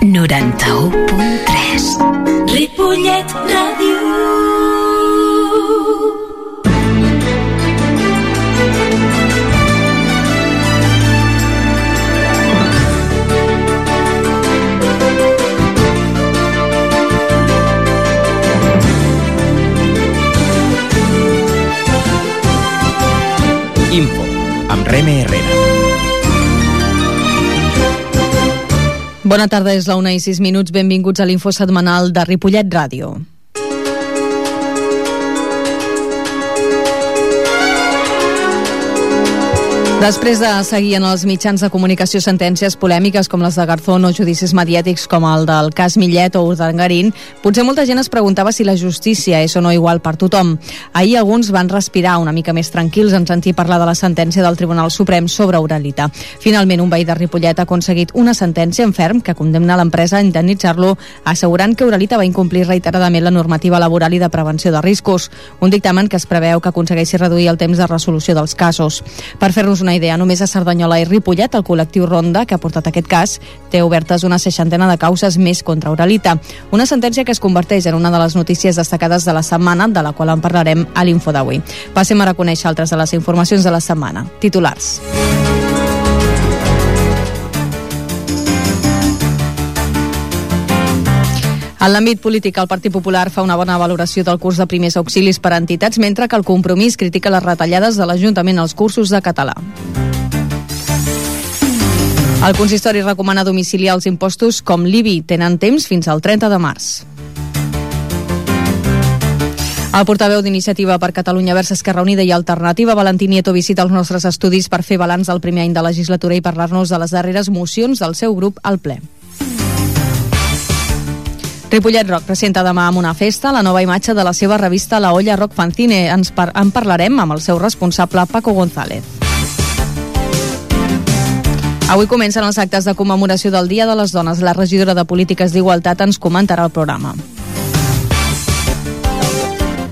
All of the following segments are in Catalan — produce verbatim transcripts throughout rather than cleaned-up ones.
noranta-u punt tres. Ripollet Ràdio. Info, amb Reme Herrera. Bona tarda, és la una i sis minuts. Benvinguts a l'info setmanal de Ripollet Ràdio. Després de seguir en els mitjans de comunicació sentències polèmiques com les de Garzón o judicis mediàtics com el del cas Millet o Urdangarín, potser molta gent es preguntava si la justícia és o no igual per tothom. Ahir alguns van respirar una mica més tranquils en sentir parlar de la sentència del Tribunal Suprem sobre Uralita. Finalment, un veí de Ripollet ha aconseguit una sentència en ferm que condemna l'empresa a indemnitzar-lo, assegurant que Uralita va incomplir reiteradament la normativa laboral i de prevenció de riscos, un dictamen que es preveu que aconsegueixi reduir el temps de resolució dels casos. Per fer-nos una idea, només a Cerdanyola i Ripollet, el col·lectiu Ronda, que ha portat aquest cas, té obertes una seixantena de causes més contra Uralita. Una sentència que es converteix en una de les notícies destacades de la setmana, de la qual en parlarem a l'info d'avui. Passem a reconèixer altres de les informacions de la setmana. Titulars. En l'àmbit polític, el Partit Popular fa una bona valoració del curs de primers auxilis per a entitats, mentre que el Compromís critica les retallades de l'Ajuntament als cursos de català. El consistori recomana domiciliar els impostos com l'I B I. Tenen temps fins al trenta de març. El portaveu d'Iniciativa per Catalunya Verds Esquerra Unida i Alternativa, Valentí Nieto, visita els nostres estudis per fer balanç del primer any de legislatura i parlar-nos de les darreres mocions del seu grup al ple. Ripollet Rock presenta demà amb una festa la nova imatge de la seva revista La Olla Rock Fanzine. Ens par- en parlarem amb el seu responsable, Paco González. Avui comencen els actes de commemoració del Dia de les Dones. La regidora de Polítiques d'Igualtat ens comentarà el programa.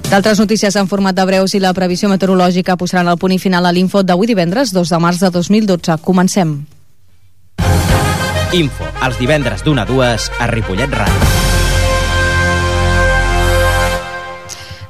D'altres notícies en format de breus i la previsió meteorològica posaran el punt i final a l'info d'avui divendres, dos de març de dos mil dotze. Comencem. Info, els divendres d'una a dues a Ripollet Ràdio.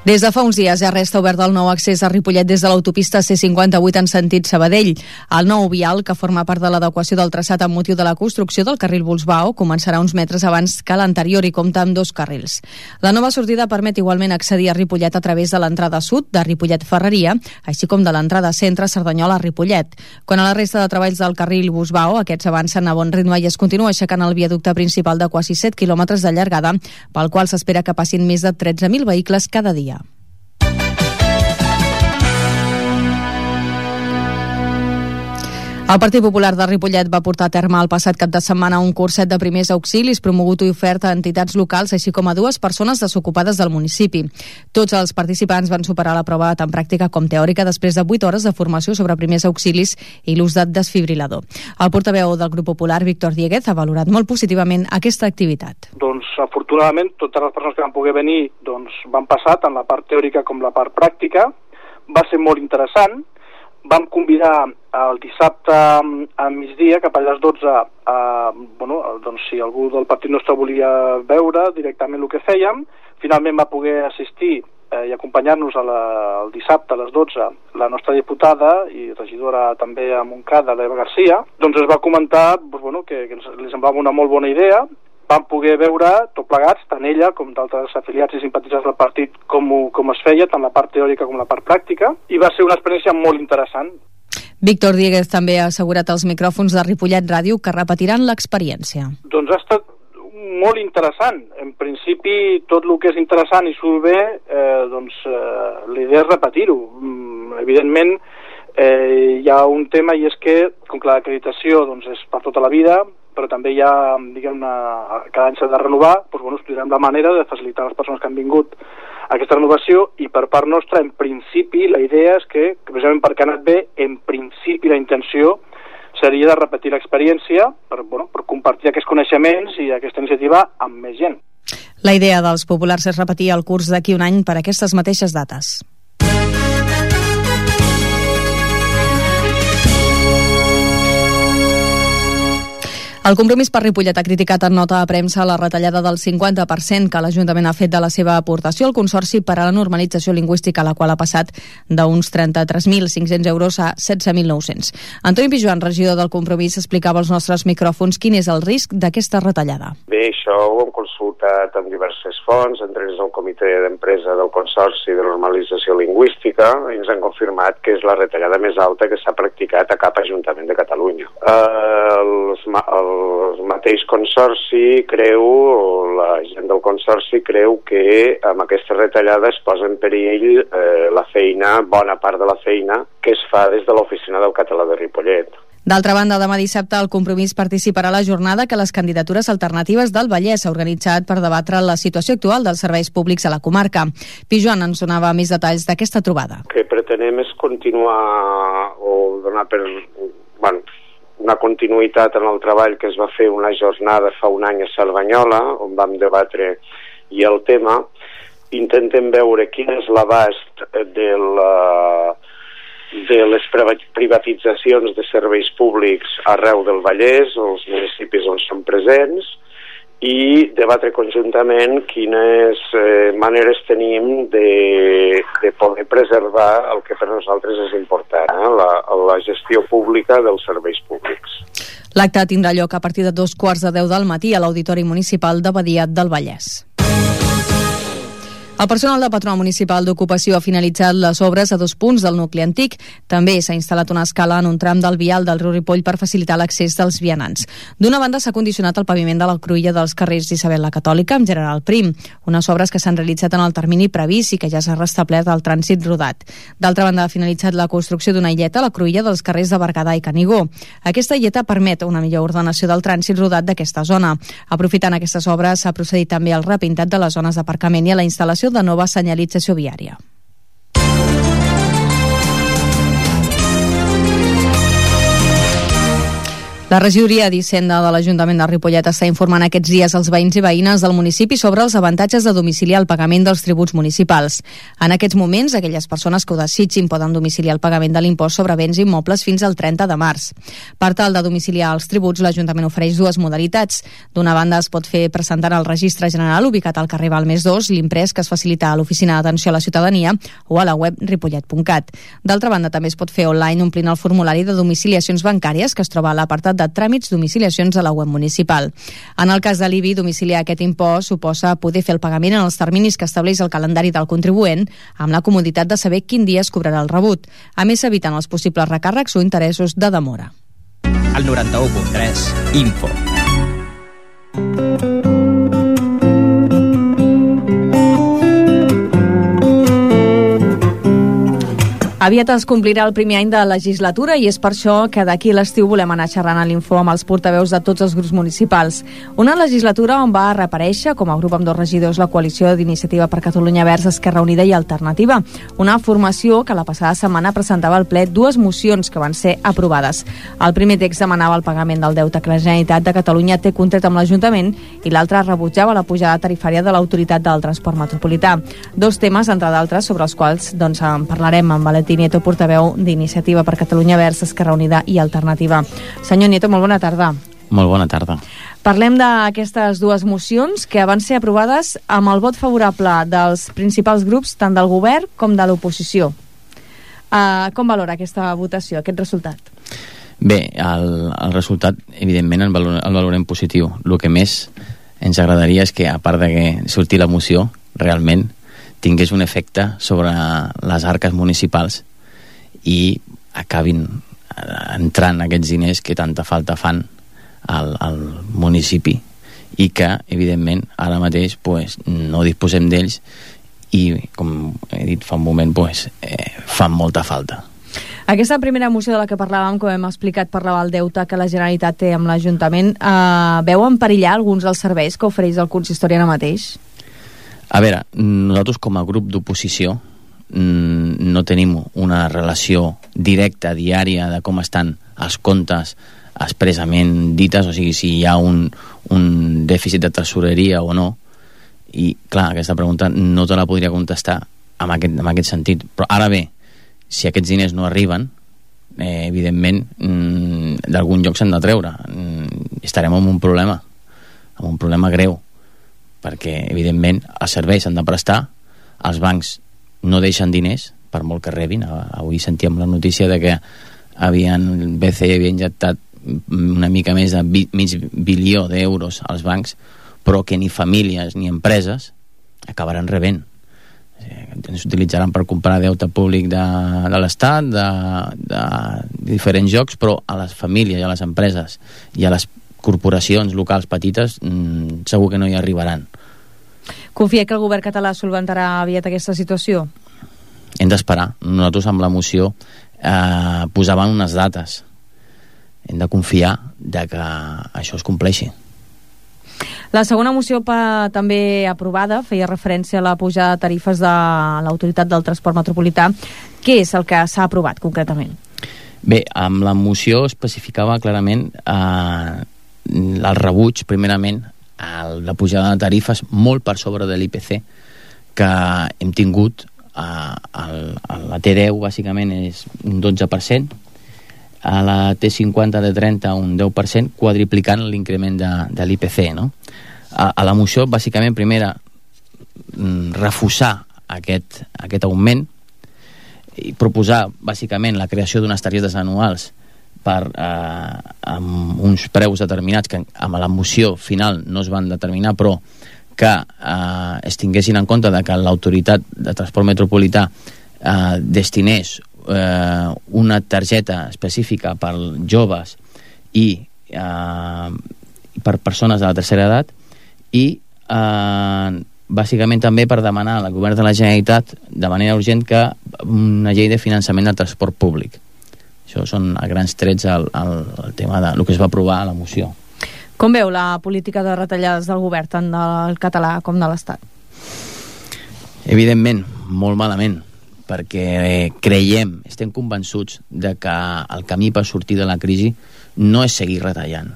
Des de fa uns dies ja resta obert el nou accés a Ripollet des de l'autopista C cinquanta-vuit en sentit Sabadell. El nou vial, que forma part de l'adequació del traçat amb motiu de la construcció del carril Busbao, començarà uns metres abans que l'anterior i compta amb dos carrils. La nova sortida permet igualment accedir a Ripollet a través de l'entrada sud de Ripollet Ferreria, així com de l'entrada centre Cerdanyola a Ripollet. Quan a la resta de treballs del carril Busbao, aquests avancen a bon ritme i es continua aixecant el viaducte principal de quasi set quilòmetres de llargada, pel qual s'espera que passin més de tretze mil vehicles cada dia. El Partit Popular de Ripollet va portar a terme el passat cap de setmana un curset de primers auxilis promogut i ofert a entitats locals, així com a dues persones desocupades del municipi. Tots els participants van superar la prova tant pràctica com teòrica després de vuit hores de formació sobre primers auxilis i l'ús de desfibrilador. El portaveu del grup popular, Víctor Dieguez, ha valorat molt positivament aquesta activitat. Doncs, afortunadament, totes les persones que van poder venir doncs, van passar tant la part teòrica com la part pràctica. Va ser molt interessant. Vam convidar el dissabte a migdia, cap a les dotze, a, bueno, doncs si algú del partit nostre volia veure directament el que fèiem. Finalment va poder assistir eh, i acompanyar-nos a la, el dissabte a les dotze la nostra diputada i regidora també a Montcada, l'Eva Garcia. Doncs es va comentar doncs, bueno, que, que li semblava una molt bona idea. Vam poder veure tot plegats, tant ella com d'altres afiliats i simpatitzants del partit, com, com es feia, tant la part teòrica com la part pràctica, i va ser una experiència molt interessant. Víctor Dieguez també ha assegurat als micròfons de Ripollet Ràdio que repetiran l'experiència. Doncs ha estat molt interessant. En principi, tot el que és interessant i surt bé, eh, doncs eh, l'idea és repetir-ho. Mm, evidentment, eh, hi ha un tema i és que, com que l'acreditació doncs, és per tota la vida, però també hi ha, diguem-ne, cada any s'ha de renovar, doncs, bueno, estudiarem la manera de facilitar a les persones que han vingut aquesta renovació i per part nostra, en principi, la idea és que, que precisament perquè ha anat bé, en principi la intenció seria de repetir l'experiència per, bueno, per compartir aquests coneixements i aquesta iniciativa amb més gent. La idea dels populars és repetir el curs d'aquí un any per aquestes mateixes dates. El Compromís per Ripollet ha criticat en nota de premsa la retallada del cinquanta per cent que l'Ajuntament ha fet de la seva aportació al Consorci per a la Normalització Lingüística, la qual ha passat d'uns trenta-tres mil cinc-cents euros a setze mil nou-cents. Antoni Pijuan, regidor del Compromís, explicava als nostres micròfons quin és el risc d'aquesta retallada. Bé, això ho hem consultat amb diverses fonts, entre ells el Comitè d'Empresa del Consorci de Normalització Lingüística, i ens han confirmat que és la retallada més alta que s'ha practicat a cap Ajuntament de Catalunya. Eh, els, el El mateix Consorci creu, o la gent del Consorci creu que amb aquesta retallada es posa en perill eh, la feina, bona part de la feina que es fa des de l'Oficina del Català de Ripollet. D'altra banda, demà dissabte el Compromís participarà a la jornada que les candidatures alternatives del Vallès ha organitzat per debatre la situació actual dels serveis públics a la comarca. Pijuan ens donava més detalls d'aquesta trobada. El que pretenem és continuar o donar per... Bueno, una continuïtat en el treball que es va fer una jornada fa un any a Cerdanyola, on vam debatre i el tema. Intentem veure quin és l'abast de, la, de les privatitzacions de serveis públics arreu del Vallès, els municipis on són presents, i debatre conjuntament quines eh, maneres tenim de, de poder preservar el que per nosaltres és important, eh? la, la gestió pública dels serveis públics. L'acte tindrà lloc a partir de dos quarts de deu del matí a l'Auditori Municipal de Badia del Vallès. El personal del Patronat Municipal d'Ocupació ha finalitzat les obres a dos punts del nucli antic. També s'ha instal·lat una escala en un tram del vial del riu Ripoll per facilitar l'accés dels vianants. D'una banda, s'ha condicionat el paviment de la cruïlla dels carrers d'Isabel la Catòlica amb General Prim, unes obres que s'han realitzat en el termini previst i que ja s'ha restablert el trànsit rodat. D'altra banda, ha finalitzat la construcció d'una illeta a la cruïlla dels carrers de Berguedà i Canigó. Aquesta illeta permet una millor ordenació del trànsit rodat d'aquesta zona. Aprofitant aquestes obres, s'ha procedit també al repintat de les zones d'aparcament i a la instal·lació de nova senyalització viària. La regidoria d'Hisenda de l'Ajuntament de Ripollet està informant aquests dies als veïns i veïnes del municipi sobre els avantatges de domiciliar el pagament dels tributs municipals. En aquests moments, aquelles persones que ho desitgin poden domiciliar el pagament de l'impost sobre béns immobles fins al trenta de març. Per tal de domiciliar els tributs, l'Ajuntament ofereix dues modalitats. D'una banda, es pot fer presentant al Registre General ubicat al carrer Balmes dos, l'imprès que es facilita a l'Oficina d'Atenció a la Ciutadania o a la web ripollet punt cat. D'altra banda, també es pot fer online omplint el formulari de domiciliacions bancàries que es troba a l'apartat de de tràmits domiciliacions a la web municipal. En el cas de l'I B I, domiciliar aquest impost suposa poder fer el pagament en els terminis que estableix el calendari del contribuent, amb la comoditat de saber quin dia es cobrarà el rebut. A més, s'eviten els possibles recàrrecs o interessos de demora. El noranta-u punt tres, Info. Aviat es complirà el primer any de legislatura i és per això que d'aquí a l'estiu volem anar xerrant a l'Info amb els portaveus de tots els grups municipals. Una legislatura on va reaparèixer com a grup amb dos regidors la coalició d'Iniciativa per Catalunya Verds, Esquerra Unida i Alternativa. Una formació que la passada setmana presentava al ple dues mocions que van ser aprovades. El primer text demanava el pagament del deute que la Generalitat de Catalunya té contret amb l'Ajuntament i l'altre rebutjava la pujada tarifària de l'Autoritat del Transport Metropolità. Dos temes, entre d'altres, sobre els quals doncs, en parlarem amb Valentín Nieto, portaveu d'Iniciativa per Catalunya Verds, Esquerra Unida i Alternativa. Senyor Nieto, molt bona tarda. Molt bona tarda. Parlem d'aquestes dues mocions que van ser aprovades amb el vot favorable dels principals grups, tant del govern com de l'oposició. Uh, com valora aquesta votació, aquest resultat? Bé, el, el resultat, evidentment, el, valor, el valorem positiu. El que més ens agradaria és que, a part de que surti la moció, realment tingués un efecte sobre les arques municipals i acabin entrant aquests diners que tanta falta fan al, al municipi i que, evidentment, ara mateix pues, no disposem d'ells i, com he dit fa un moment, pues, eh, fan molta falta. Aquesta primera moció de la que parlàvem, com hem explicat, parlava del deute que la Generalitat té amb l'Ajuntament. Eh, veu en perillar alguns dels serveis que ofereix el consistori ara mateix? A veure, nosaltres com a grup d'oposició no tenim una relació directa, diària, de com estan els comptes expressament dites, o sigui, si hi ha un, un dèficit de tresoreria o no. I, clar, aquesta pregunta no te la podria contestar en aquest, en aquest sentit. Però ara bé, si aquests diners no arriben, eh, evidentment, mm, d'algun lloc s'han de treure. Mm, estarem en un problema, en un problema greu, perquè, evidentment, els serveis s'han de prestar, els bancs no deixen diners, per molt que rebin. Avui sentíem la notícia de que havien, el B C E havia injectat una mica més de mig bilió d'euros als bancs, però que ni famílies ni empreses acabaran rebent. Ens utilitzaran per comprar deute públic de, de l'Estat, de, de diferents jocs, però a les famílies i a les empreses i a les corporacions locals petites mmm, segur que no hi arribaran. Confia que el govern català solventarà aviat aquesta situació? Hem d'esperar. Nosaltres amb la moció eh, posàvem unes dates. Hem de confiar de que això es compleixi. La segona moció pa, també aprovada feia referència a la pujada de tarifes de l'Autoritat del Transport Metropolità. Què és el que s'ha aprovat concretament? Bé, amb la moció especificava clarament eh, el rebuig, primerament, a la pujada de tarifes molt per sobre de l'I P C que hem tingut. A, a, a la T deu bàsicament és un dotze per cent, a la T cinquanta de trenta un deu per cent, quadriplicant l'increment de, de l'I P C, no? A, a la moció bàsicament primera refusar aquest, aquest augment i proposar bàsicament la creació d'unes targetes anuals per, eh, amb uns preus determinats que amb la moció final no es van determinar, però que eh, es tinguessin en compte de que l'Autoritat de Transport Metropolità eh, destinés eh, una targeta específica per joves i eh, per persones de la tercera edat i eh, bàsicament també per demanar al govern de la Generalitat de manera urgent que una llei de finançament del transport públic. Això són a grans trets el, el, el tema de el que es va aprovar a la moció. Com veu la política de retallades del govern, tant del català com de l'Estat? Evidentment, molt malament, perquè creiem, estem convençuts de que el camí per sortir de la crisi no és seguir retallant.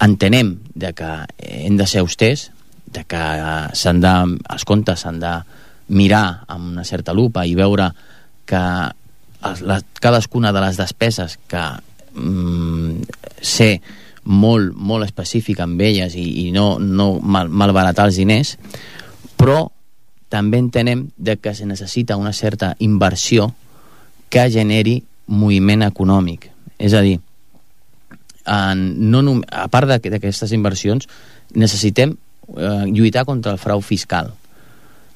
Entenem de que hem de ser austers, de que s'han de, els comptes s'han de mirar amb una certa lupa i veure que la, cadascuna de les despeses que mm, ser molt, molt específica amb elles i, i no, no mal, malbaratar els diners, però també entenem de que se necessita una certa inversió que generi moviment econòmic. És a dir, en, no, a part d'aquestes inversions necessitem eh, lluitar contra el frau fiscal.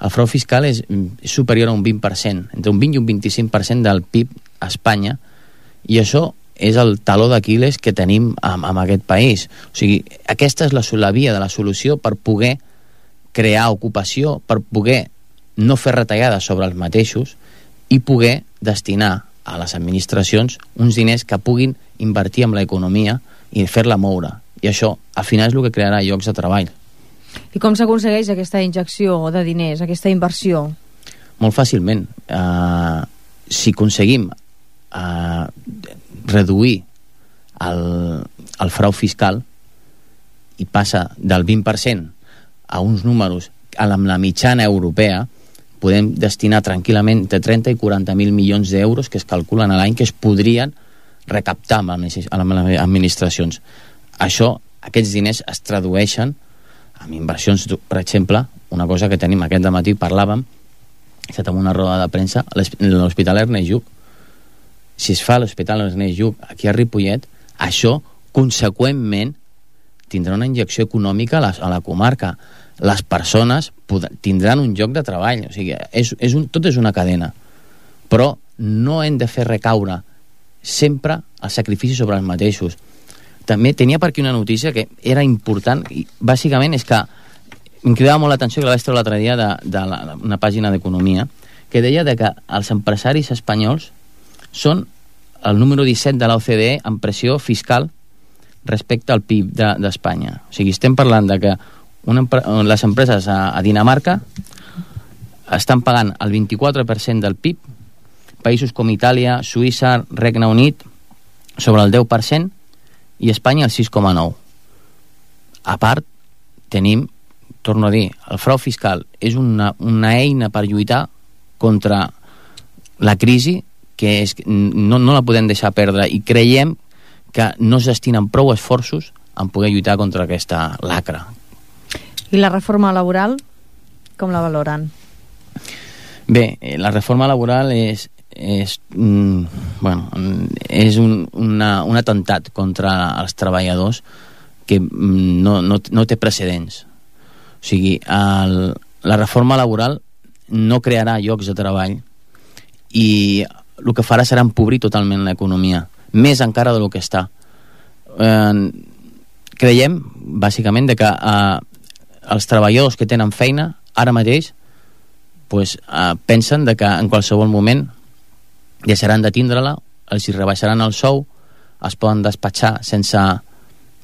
El frau fiscal és, és superior a un vint per cent, entre un vint i un vint-i-cinc per cent del P I B a Espanya, i això és el taló d'Aquil·les que tenim amb, amb aquest país. O sigui, aquesta és la, la via de la solució per poder crear ocupació, per poder no fer retallades sobre els mateixos i poder destinar a les administracions uns diners que puguin invertir en l'economia i fer-la moure. I això, al final, és el que crearà llocs de treball. I com s'aconsegueix aquesta injecció de diners, aquesta inversió? Molt fàcilment. Uh, si aconseguim uh, reduir el, el frau fiscal i passa del vint per cent a uns números amb la mitjana europea, podem destinar tranquil·lament entre trenta i quaranta mil milions d'euros que es calculen a l'any que es podrien recaptar amb les administracions. Això, aquests diners es tradueixen en inversions, per exemple, una cosa que tenim aquest dematí, parlàvem, he estat en una roda de premsa, l'Hospital Ernest Lluch. Si es fa l'Hospital Ernest Lluch aquí a Ripollet, això, conseqüentment, tindrà una injecció econòmica a la, a la comarca. Les persones tindran un lloc de treball. O sigui, és, és un, tot és una cadena. Però no hem de fer recaure sempre el sacrifici sobre els mateixos. També tenia per aquí una notícia que era important, i bàsicament és que em cridava molt l'atenció, que la vaig treure l'altre dia de, de la, una pàgina d'economia, que deia de que els empresaris espanyols són el número disset de l'O C D E en pressió fiscal respecte al P I B d'Espanya. De, o sigui, estem parlant de que una, les empreses a, a Dinamarca estan pagant el vint-i-quatre per cent del P I B, països com Itàlia, Suïssa, Regne Unit, sobre el deu per cent, i Espanya el sis coma nou. A part, tenim, torno a dir, el frau fiscal és una, una eina per lluitar contra la crisi que és, no, no la podem deixar perdre, i creiem que no es destinen prou esforços en poder lluitar contra aquesta lacra. I la reforma laboral, com la valoren? Bé, la reforma laboral és, és, mm, bueno, és un, una, un atemptat contra els treballadors que mm, no, no, no té precedents. O sigui, el, la reforma laboral no crearà llocs de treball i el que farà serà empobrir totalment l'economia, més encara del que està. Eh, creiem, bàsicament, de que eh, els treballadors que tenen feina ara mateix pues, eh, pensen de que en qualsevol moment deixaran de tindre-la, els hi rebaixaran el sou, es poden despatxar sense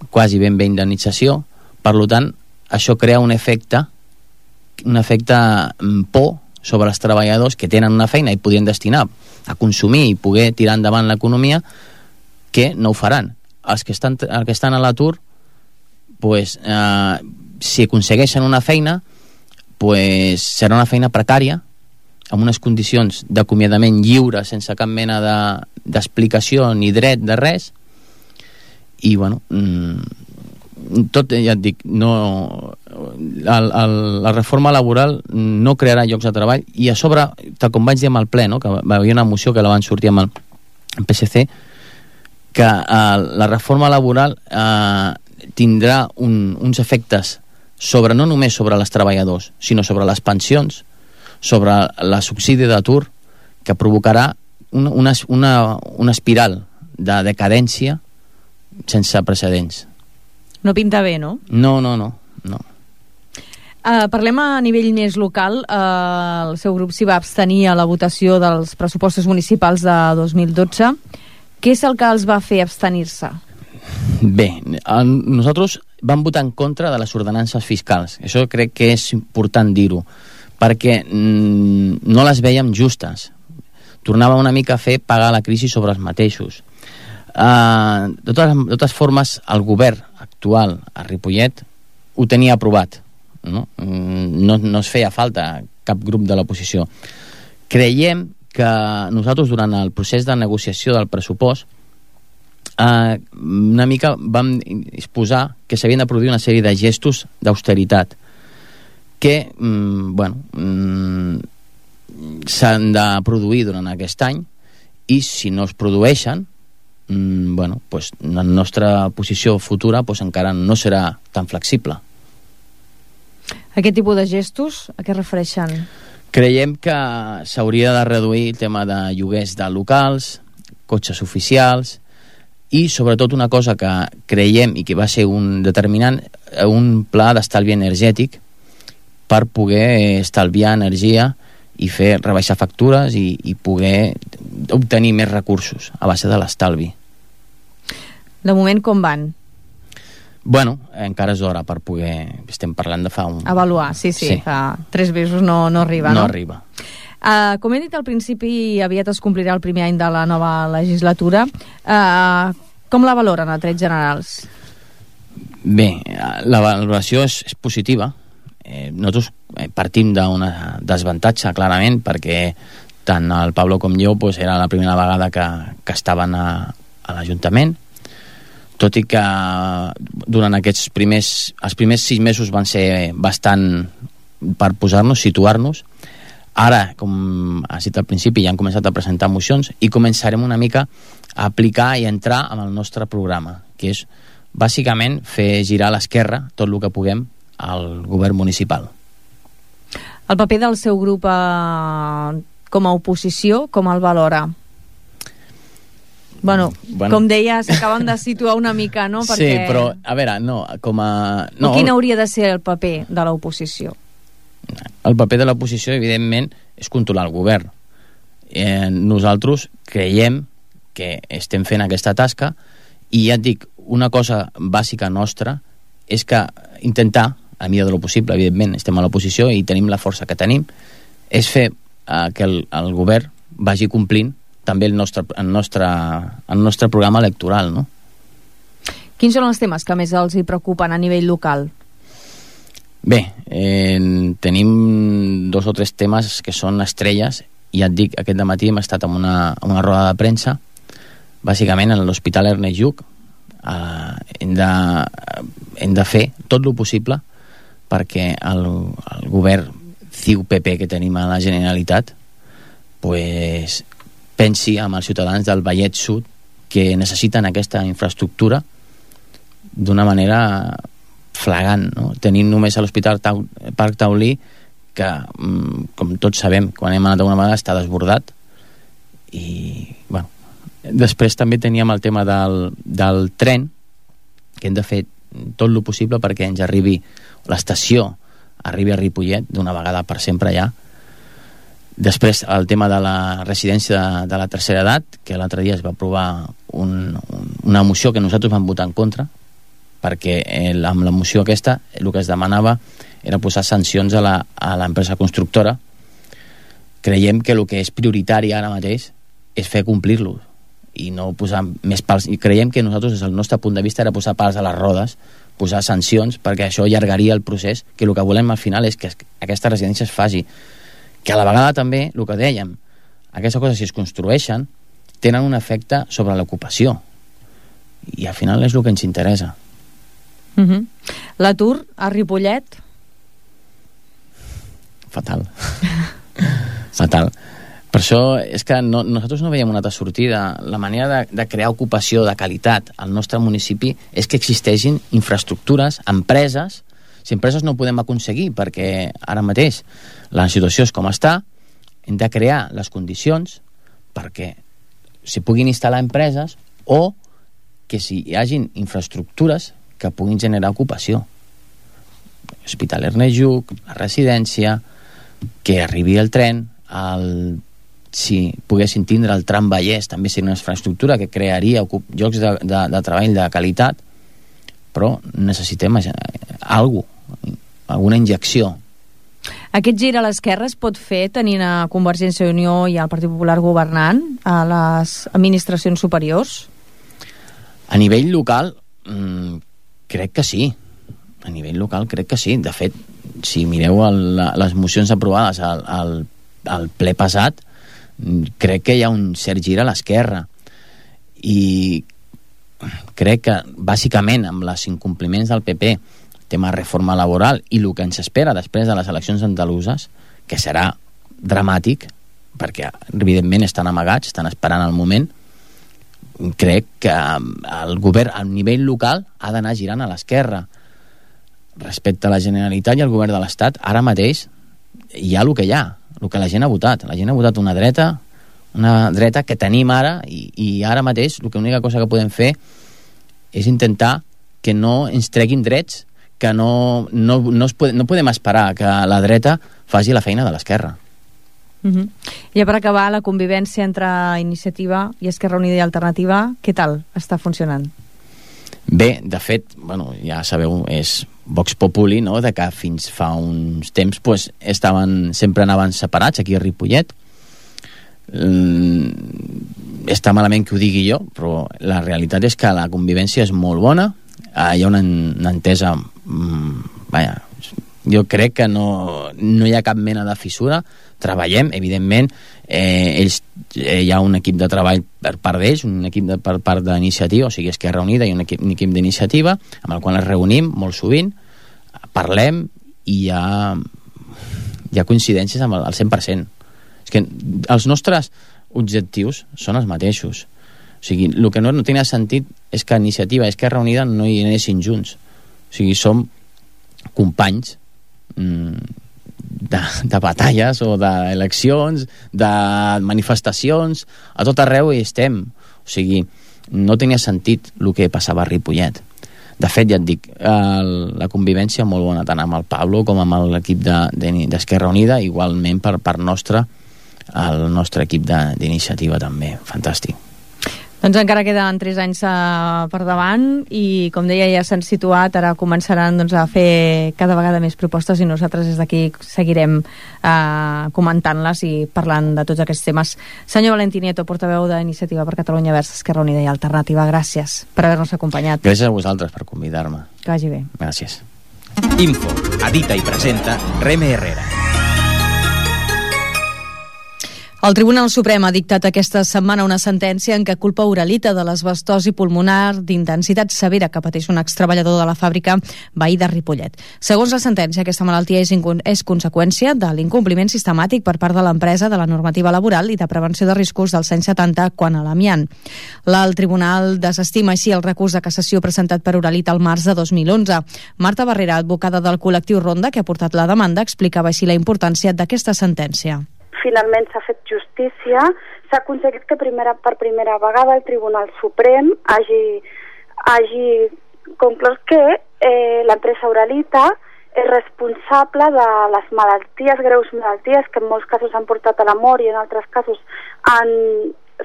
quasi ben bé indemnització. Per tant, això crea un efecte un efecte por sobre els treballadors que tenen una feina i podrien destinar a consumir i poder tirar endavant l'economia, que no ho faran. Els que estan, els que estan a l'atur, pues, eh, si aconsegueixen una feina, pues, serà una feina precària, amb unes condicions d'acomiadament lliure, sense cap mena de, d'explicació ni dret de res, i bueno, tot, ja et dic, no, el, el, la reforma laboral no crearà llocs de treball, i a sobre, tal com vaig dir amb el ple, no, que va haver una moció que la van sortir amb el P S C, que eh, la reforma laboral eh, tindrà un, uns efectes sobre, no només sobre els treballadors, sinó sobre les pensions, sobre la subsidi d'atur, que provocarà una, una, una, una espiral de decadència sense precedents. No pinta bé, no? No, no, no. no. Uh, parlem a nivell més local. Uh, el seu grup s'hi va abstenir a la votació dels pressupostos municipals de dos mil dotze. Què és el que els va fer abstenir-se? Bé, el, nosaltres vam votar en contra de les ordenances fiscals. Això crec que és important dir-ho, perquè mm, no les veiem justes. Tornava una mica a fer pagar la crisi sobre els mateixos. Uh, de, totes, de totes formes, el govern actual a Ripollet ho tenia aprovat, no? No, no es feia falta cap grup de l'oposició. Creiem que nosaltres durant el procés de negociació del pressupost uh, una mica vam exposar que s'havien de produir una sèrie de gestos d'austeritat que mm, bueno, mm, s'han de produir durant aquest any, i si no es produeixen, mm, bueno, pues, la nostra posició futura pues, encara no serà tan flexible. Aquest tipus de gestos, a què refereixen? Creiem que s'hauria de reduir el tema de lloguers de locals, cotxes oficials, i sobretot una cosa que creiem i que va ser un determinant, un pla d'estalvi energètic per poder estalviar energia i fer rebaixar factures i, i poder obtenir més recursos a base de l'estalvi. De moment com van? Bueno, encara és d'hora per poder... Estem parlant de fa un... Avaluar, sí, sí, sí. Fa tres mesos no, no arriba, no? No arriba. Uh, com he dit al principi, aviat es complirà el primer any de la nova legislatura. Uh, com la valoren a trets generals? Bé, la valoració és, és positiva. Eh, nosaltres partim d'un desavantatge, clarament, perquè tant el Pablo com jo pues, era la primera vegada que, que estaven a, a l'Ajuntament, tot i que durant aquests primers, els primers sis mesos van ser bastant per posar-nos, situar-nos. Ara, com has dit al principi, ja han començat a presentar mocions i començarem una mica a aplicar i entrar en el nostre programa, que és bàsicament fer girar a l'esquerra tot el que puguem al govern municipal. El paper del seu grup eh, com a oposició, com el valora? Bueno, bueno, com deia, s'acaben de situar una mica, no? Perquè... Sí, però, a veure, no, com a... No, quin hauria de ser el paper de l'oposició? El paper de l'oposició, evidentment, és controlar el govern. Eh, nosaltres creiem que estem fent aquesta tasca i ja et dic, una cosa bàsica nostra és que intentar, a la millor de lo possible, evidentment, estem a l'oposició i tenim la força que tenim, és fer eh, que el, el govern vagi complint també el nostre, el, nostre, el nostre programa electoral, no? Quins són els temes que més els hi preocupen a nivell local? Bé, eh, tenim dos o tres temes que són estrelles i ja et dic, aquest dematí hem estat en una, en una roda de premsa, bàsicament a l'Hospital Ernest Lluch. Uh, hem, de, hem de fer tot el possible perquè el, el govern C I U P P que tenim a la Generalitat pues, pensi amb els ciutadans del Vallès Sud que necessiten aquesta infraestructura d'una manera flagrant, no? Tenint només a l'Hospital Tau, Parc Taulí que, com tots sabem, quan hem anat alguna vegada està desbordat i, bueno, després també teníem el tema del, del tren, que hem de fer tot el possible perquè ens arribi l'estació, arribi a Ripollet d'una vegada per sempre ja. Després el tema de la residència de, de la tercera edat, que l'altre dia es va aprovar un, un, una moció que nosaltres vam votar en contra, perquè el, amb la moció aquesta el que es demanava era posar sancions a l'empresa constructora. Creiem que el que és prioritari ara mateix és fer complir-lo i no posar més pals, i creiem que nosaltres des del nostre punt de vista era posar pals a les rodes, posar sancions, perquè això allargaria el procés, que el que volem al final és que aquesta residència es faci, que a la vegada també, el que dèiem, aquestes coses si es construeixen tenen un efecte sobre l'ocupació i al final és el que ens interessa. Uh-huh. L'atur a Ripollet? Fatal. Fatal. Per això és que no, nosaltres no veiem una altra sortida. La manera de, de crear ocupació de qualitat al nostre municipi és que existeixin infraestructures, empreses. Si empreses no ho podem aconseguir perquè ara mateix la situació és com està, hem de crear les condicions perquè s'hi puguin instal·lar empreses o que si hi hagin infraestructures que puguin generar ocupació. Hospital Ernest Lluch, la residència, que arribi el tren, el si poguessin tindre el tram Vallès també seria una infraestructura que crearia llocs de, de, de treball de qualitat, però necessitem alguna cosa, alguna injecció. Aquest gir a l'esquerra es pot fer tenint a Convergència i Unió i al Partit Popular governant a les administracions superiors? A nivell local mmm, crec que sí. A nivell local crec que sí. De fet, si mireu el, les mocions aprovades al, al, al ple passat, crec que hi ha un cert gir a l'esquerra i crec que bàsicament amb els incompliments del P P, tema de reforma laboral i el que ens espera després de les eleccions andaluses, que serà dramàtic perquè evidentment estan amagats, estan esperant el moment, crec que el govern a nivell local ha d'anar girant a l'esquerra. Respecte a la Generalitat i al govern de l'Estat, ara mateix hi ha el que hi ha, el que la gent ha votat. La gent ha votat una dreta, una dreta que tenim ara i, i ara mateix l'única cosa que podem fer és intentar que no ens treguin drets, que no, no, no, es pode, no podem esperar que la dreta faci la feina de l'esquerra. Uh-huh. I per acabar, la convivència entre Iniciativa i Esquerra Unida i Alternativa, què tal està funcionant? Bé, de fet, bueno, ja sabeu, és Vox Populi, no?, de que fins fa uns temps pues, estaven, sempre anaven separats aquí a Ripollet. Mm, està malament que ho digui jo, però la realitat és que la convivència és molt bona, uh, hi ha una, una entesa, mm, vaja, jo crec que no, no hi ha cap mena de fissura, treballem, evidentment, eh, ells, eh, hi ha un equip de treball per part d'ells, un equip de, per part d'Iniciativa, o sigui, Esquerra Unida i un equip, un equip d'Iniciativa, amb el qual ens reunim molt sovint, parlem i hi ha, hi ha coincidències amb el, el cent per cent. És que els nostres objectius són els mateixos. O sigui, el que no, no tenia sentit és que Iniciativa i Esquerra Unida no hi anessin junts. O sigui, som companys mmm, de, de batalles o d'eleccions, de manifestacions, a tot arreu hi estem. O sigui, no tenia sentit el que passava a Ripollet. De fet, ja et dic, el, la convivència molt bona, tant amb el Pablo com amb l'equip d'Esquerra de, Unida, igualment per part nostra, el nostre equip d'Iniciativa també. Fantàstic. Doncs encara queden tres anys uh, per davant i, com deia, ja s'han situat, ara començaran doncs, a fer cada vegada més propostes i nosaltres des d'aquí seguirem uh, comentant-les i parlant de tots aquests temes. Senyor Valentí Nieto, portaveu d'Iniciativa per Catalunya Verds, Esquerra Unida i Alternativa, gràcies per haver-nos acompanyat. Gràcies a vosaltres per convidar-me. Que vagi bé. Gràcies. Info, edita i presenta Reme Herrera. El Tribunal Suprem ha dictat aquesta setmana una sentència en què culpa Uralita de l'asbestosi pulmonar d'intensitat severa que pateix un extreballador de la fàbrica veí de Ripollet. Segons la sentència, aquesta malaltia és, és conseqüència de l'incompliment sistemàtic per part de l'empresa de la normativa laboral i de prevenció de riscos dels anys setanta quant a l'amiant. El Tribunal desestima així el recurs de cassació presentat per Uralita al març de dos mil onze. Marta Barrera, advocada del col·lectiu Ronda, que ha portat la demanda, explicava així la importància d'aquesta sentència. Finalment s'ha fet justícia, s'ha aconseguit que primera, per primera vegada el Tribunal Suprem hagi, hagi conclòs que eh, l'empresa Uralita és responsable de les malalties, greus malalties, que en molts casos han portat a la mort i en altres casos han,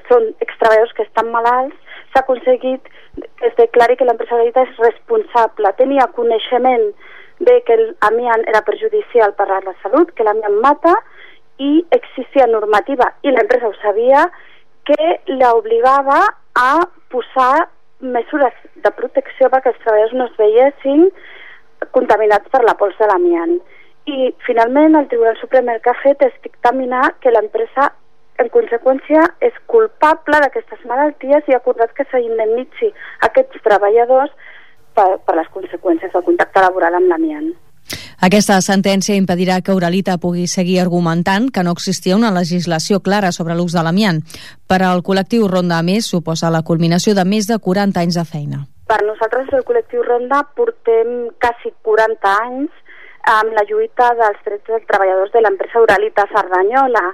són extreballadors que estan malalts. S'ha aconseguit que es declari que l'empresa Uralita és responsable, tenia coneixement de que l'amiant era perjudicial per a la salut, que l'amiant mata, i existia normativa, i l'empresa ho sabia, que l'obligava a posar mesures de protecció perquè els treballadors no es veiessin contaminats per la pols de l'amiant. I finalment el Tribunal Suprem el que ha fet és dictaminar que l'empresa en conseqüència és culpable d'aquestes malalties i ha acordat que s'indemnitzi aquests treballadors per, per les conseqüències del contacte laboral amb l'amiant. Aquesta sentència impedirà que Uralita pugui seguir argumentant que no existia una legislació clara sobre l'ús de l'amiant. Per al col·lectiu Ronda, a més, suposa la culminació de més de quaranta anys de feina. Per nosaltres, el col·lectiu Ronda, portem quasi quaranta anys amb la lluita dels drets dels treballadors de l'empresa Uralita Cerdanyola.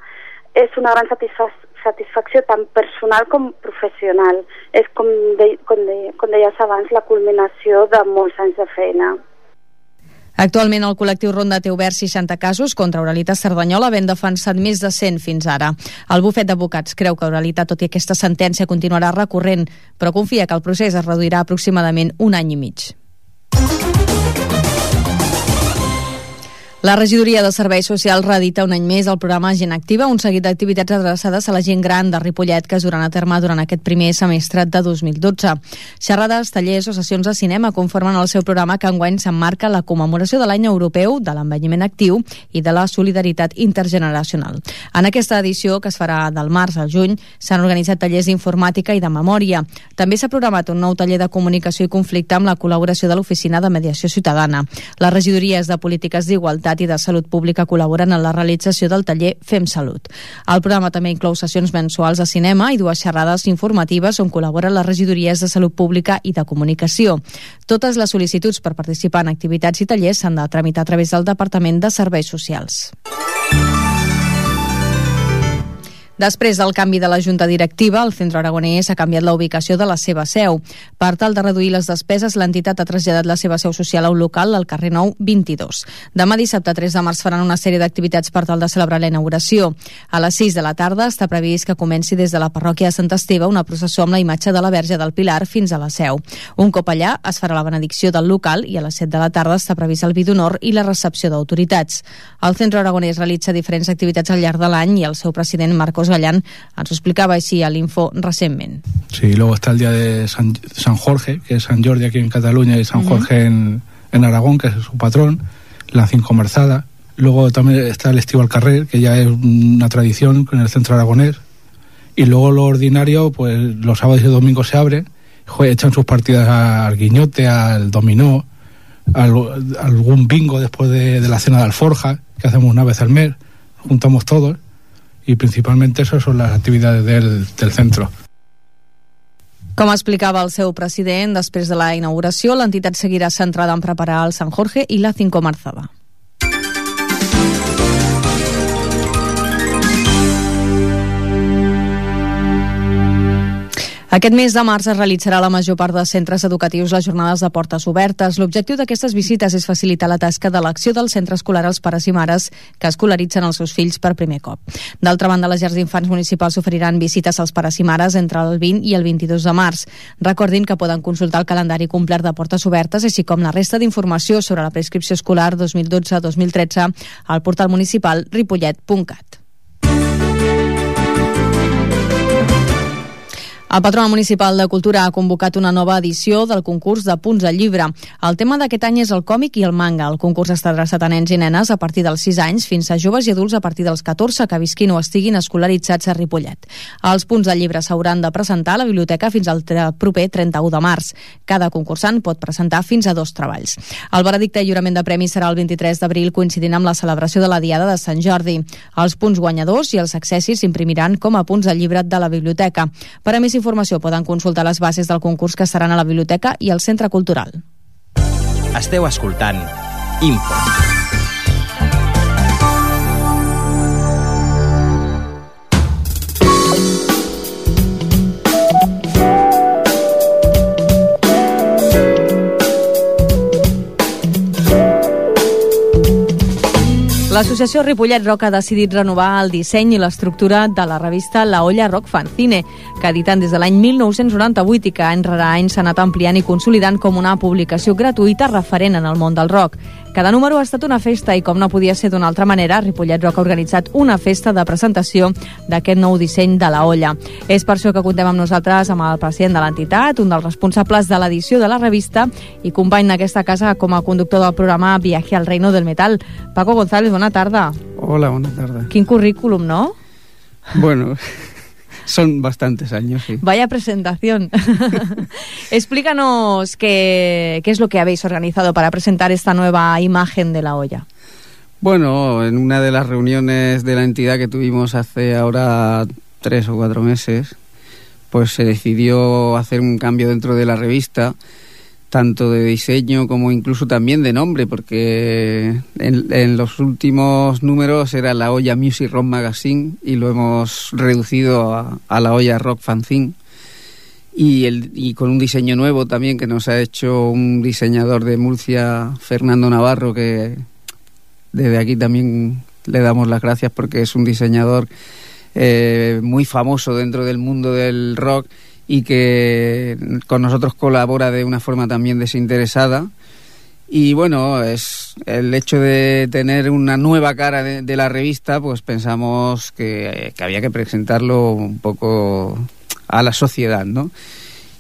És una gran satisfac satisfacció tant personal com professional. És, com, de com, de com deies abans, la culminació de molts anys de feina. Actualment el col·lectiu Ronda té oberts seixanta casos contra Uralita Cerdanyola, havent defensat més de cent fins ara. El bufet d'advocats creu que Uralita, tot i aquesta sentència, continuarà recorrent, però confia que el procés es reduirà aproximadament un any i mig. La regidoria de Serveis Socials reedita un any més el programa Gent Activa, un seguit d'activitats adreçades a la gent gran de Ripollet que es duran a terme durant aquest primer semestre de dos mil dotze. Xerrades, tallers o sessions de cinema conformen el seu programa, que enguany s'emmarca la commemoració de l'any europeu de l'envelliment actiu i de la solidaritat intergeneracional. En aquesta edició, que es farà del març al juny, s'han organitzat tallers d'informàtica i de memòria. També s'ha programat un nou taller de comunicació i conflicte amb la col·laboració de l'Oficina de Mediació Ciutadana. Les regidories de Polítiques d'Igualtat i de Salut Pública col·laboren en la realització del taller Fem Salut. El programa també inclou sessions mensuals de cinema i dues xerrades informatives on col·laboren les regidories de Salut Pública i de Comunicació. Totes les sol·licituds per participar en activitats i tallers s'han de tramitar a través del Departament de Serveis Socials. Després del canvi de la Junta Directiva, el Centre Aragonès ha canviat la ubicació de la seva seu. Per tal de reduir les despeses, l'entitat ha traslladat la seva seu social a un local al carrer Nou vint-i-dos. Demà dissabte tres de març faran una sèrie d'activitats per tal de celebrar la inauguració. A les sis de la tarda està previst que comenci des de la parròquia de Sant Esteve una processó amb la imatge de la Verge del Pilar fins a la seu. Un cop allà es farà la benedicció del local i a les set de la tarda està previst el vi d'honor i la recepció d'autoritats. El Centre Aragonès realitza diferents activitats al llarg de l'any i el seu president, Marcos Gallán, ens ho explicaba així a l'Info recentment. Sí, luego está el día de San, San Jorge, que es San Jordi aquí en Cataluña y San uh-huh. Jorge en, en Aragón, que es su patrón, la Cincomerzada. Luego también está el Estivo al Carrer, que ya es una tradición en el Centro Aragonés. Y luego lo ordinario, pues los sábados y domingos se abre, echan sus partidas al guiñote, al dominó, al, algún bingo después de, de la cena de alforja, que hacemos una vez al mes, juntamos todos. I principalment esas són les activitats del, del centre. Com explicava el seu president, després de la inauguració, l'entitat seguirà centrada en preparar el Sant Jorge i la Cincomerzada. Aquest mes de març es realitzarà a la major part dels centres educatius les jornades de portes obertes. L'objectiu d'aquestes visites és facilitar la tasca d'elecció del centre escolar als pares i mares que escolaritzen els seus fills per primer cop. D'altra banda, les llars d'infants municipals oferiran visites als pares i mares entre el vint i el vint-i-dos de març. Recordin que poden consultar el calendari complet de portes obertes, així com la resta d'informació sobre la prescripció escolar dos mil dotze dos mil tretze al portal municipal ripollet punt cat. El Patronat Municipal de Cultura ha convocat una nova edició del concurs de punts al llibre. El tema d'aquest any és el còmic i el manga. El concurs està adreçat a nens i nenes a partir dels sis anys fins a joves i adults a partir dels catorze que visquin o estiguin escolaritzats a Ripollet. Els punts al llibre s'hauran de presentar a la biblioteca fins al proper trenta-u de març. Cada concursant pot presentar fins a dos treballs. El veredicte i lliurament de premis serà el vint-i-tres d'abril, coincidint amb la celebració de la Diada de Sant Jordi. Els punts guanyadors i els accessis s'imprimiran com a punts al llibre de la biblioteca. Per a més informació poden consultar les bases del concurs que seran a la biblioteca i al Centre Cultural. Esteu escoltant Info. L'associació Ripollet Rock ha decidit renovar el disseny i l'estructura de la revista La Olla Rock Fanzine, que editen des de l'any mil nou-cents noranta-vuit i que any rere any s'ha anat ampliant i consolidant com una publicació gratuïta referent en el món del rock. Cada número ha estat una festa i, com no podia ser d'una altra manera, Ripollet Rock ha organitzat una festa de presentació d'aquest nou disseny de La Olla. És per això que contem amb nosaltres amb el president de l'entitat, un dels responsables de l'edició de la revista i company d'aquesta casa com a conductor del programa Viaje al Reino del Metal. Paco González, bona tarda. Hola, bona tarda. Quin currículum, ¿no? Bueno, son bastantes años, sí. Vaya presentación. Explícanos qué, qué es lo que habéis organizado para presentar esta nueva imagen de La Olla. Bueno, en una de las reuniones de la entidad que tuvimos hace ahora tres o cuatro meses, pues se decidió hacer un cambio dentro de la revista, tanto de diseño como incluso también de nombre, porque en, en los últimos números era La Olla Music Rock Magazine y lo hemos reducido a, a La Olla Rock Fanzine, y, el, y con un diseño nuevo también que nos ha hecho un diseñador de Murcia, Fernando Navarro, que desde aquí también le damos las gracias porque es un diseñador eh, muy famoso dentro del mundo del rock y que con nosotros colabora de una forma también desinteresada. Y bueno, es el hecho de tener una nueva cara de, de la revista, pues pensamos que, que había que presentarlo un poco a la sociedad, ¿no?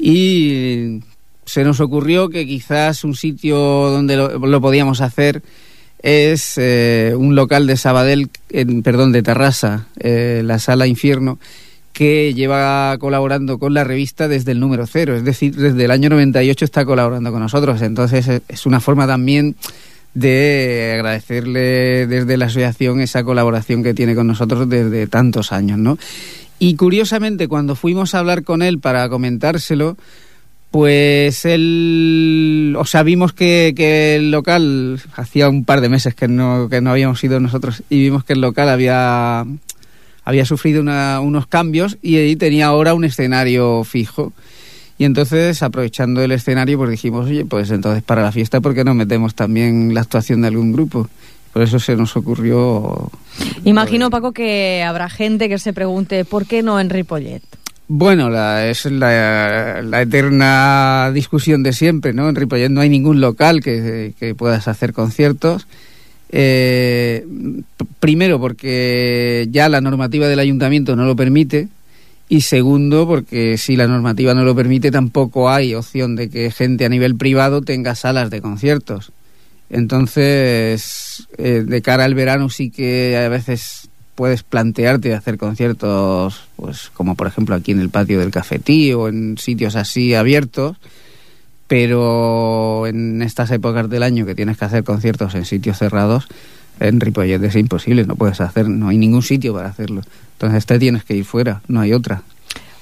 Y se nos ocurrió que quizás un sitio donde lo, lo podíamos hacer es eh, un local de Sabadell, en, perdón, de Tarrasa, eh, la Sala Infierno, que lleva colaborando con la revista desde el número cero, es decir, desde el año noventa y ocho está colaborando con nosotros. Entonces es una forma también de agradecerle desde la asociación esa colaboración que tiene con nosotros desde tantos años, ¿no? Y curiosamente, cuando fuimos a hablar con él para comentárselo, pues él, o sea, vimos que, que el local, hacía un par de meses que no, que no habíamos ido nosotros, y vimos que el local había... había sufrido una, unos cambios y ahí tenía ahora un escenario fijo. Y entonces, aprovechando el escenario, pues dijimos, oye, pues entonces para la fiesta, ¿por qué no metemos también la actuación de algún grupo? Por eso se nos ocurrió... Imagino, Paco, que habrá gente que se pregunte, ¿por qué no en Ripollet? Bueno, la, es la, la eterna discusión de siempre, ¿no? En Ripollet no hay ningún local que, que puedas hacer conciertos. Eh, primero porque ya la normativa del ayuntamiento no lo permite, y segundo porque si la normativa no lo permite tampoco hay opción de que gente a nivel privado tenga salas de conciertos. Entonces eh, de cara al verano sí que a veces puedes plantearte hacer conciertos, pues como por ejemplo aquí en el patio del Cafetí o en sitios así abiertos, pero en estas épocas del año que tienes que hacer conciertos en sitios cerrados, en Ripollet es imposible, no puedes hacer, no hay ningún sitio para hacerlo. Entonces te tienes que ir fuera, no hay otra.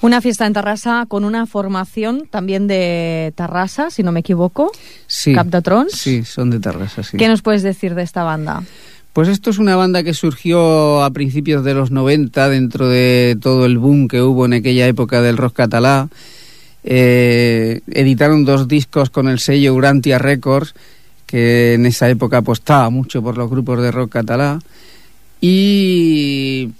Una fiesta en Tarrasa con una formación también de Tarrasa, si no me equivoco. Sí. Cap de Trons. Sí, son de Tarrasa, sí. ¿Qué nos puedes decir de esta banda? Pues esto es una banda que surgió a principios de los noventa dentro de todo el boom que hubo en aquella época del rock catalá. Eh, editaron dos discos con el sello Urantia Records, que en esa época apostaba mucho por los grupos de rock catalá, y